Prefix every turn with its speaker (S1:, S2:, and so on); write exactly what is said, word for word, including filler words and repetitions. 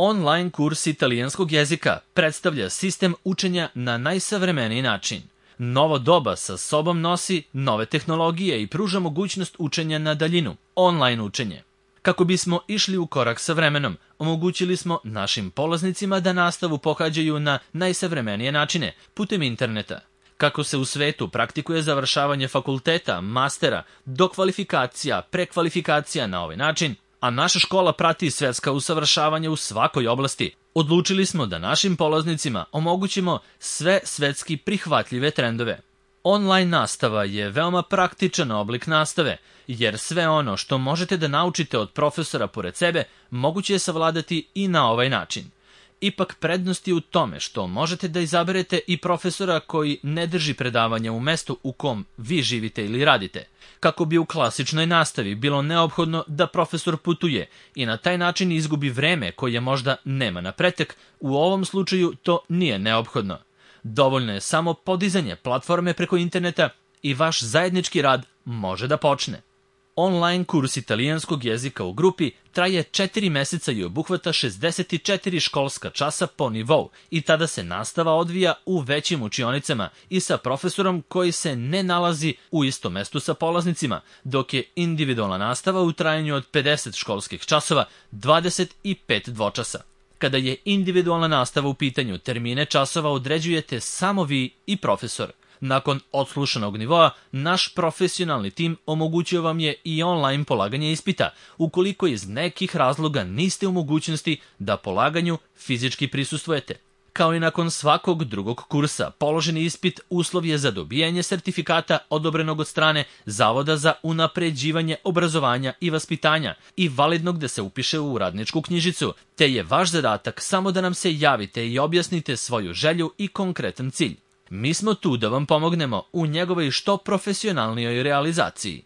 S1: Online kurs italijanskog jezika predstavlja sistem učenja na najsavremeniji način. Novo doba sa sobom nosi nove tehnologije i pruža mogućnost učenja na daljinu, online učenje. Kako bismo išli u korak sa vremenom, omogućili smo našim polaznicima da nastavu pohađaju na najsavremenije načine, putem interneta. Kako se u svetu praktikuje završavanje fakulteta, mastera, dokvalifikacija, prekvalifikacija na ovaj način, a naša škola prati svetska usavršavanja u svakoj oblasti, odlučili smo da našim polaznicima omogućimo sve svetski prihvatljive trendove. Online nastava je veoma praktičan oblik nastave, jer sve ono što možete da naučite od profesora pored sebe, moguće je savladati i na ovaj način. Ipak prednost je u tome što možete da izaberete i profesora koji ne drži predavanja u mestu u kom vi živite ili radite, kako bi u klasičnoj nastavi bilo neophodno da profesor putuje i na taj način izgubi vreme koje možda nema na pretek, u ovom slučaju to nije neophodno. Dovoljno je samo podizanje platforme preko interneta i vaš zajednički rad može da počne. Online kurs italijanskog jezika u grupi traje četiri meseca i obuhvata šezdeset četiri školska časa po nivou i tada se nastava odvija u većim učionicama i sa profesorom koji se ne nalazi u istom mestu sa polaznicima, dok je individualna nastava u trajanju od pedeset školskih časova, dvadeset pet dvočasa. Kada je individualna nastava u pitanju, termine časova određujete samo vi i profesor. Nakon odslušanog nivoa, naš profesionalni tim omogućio vam je i online polaganje ispita, ukoliko iz nekih razloga niste u mogućnosti da polaganju fizički prisustvujete. Kao i nakon svakog drugog kursa, položeni ispit uslov je za dobijanje sertifikata odobrenog od strane Zavoda za unapređivanje obrazovanja i vaspitanja i validnog da se upiše u radničku knjižicu, te je vaš zadatak samo da nam se javite i objasnite svoju želju i konkretan cilj. Mi smo tu da vam pomognemo u njegovoj što profesionalnijoj realizaciji.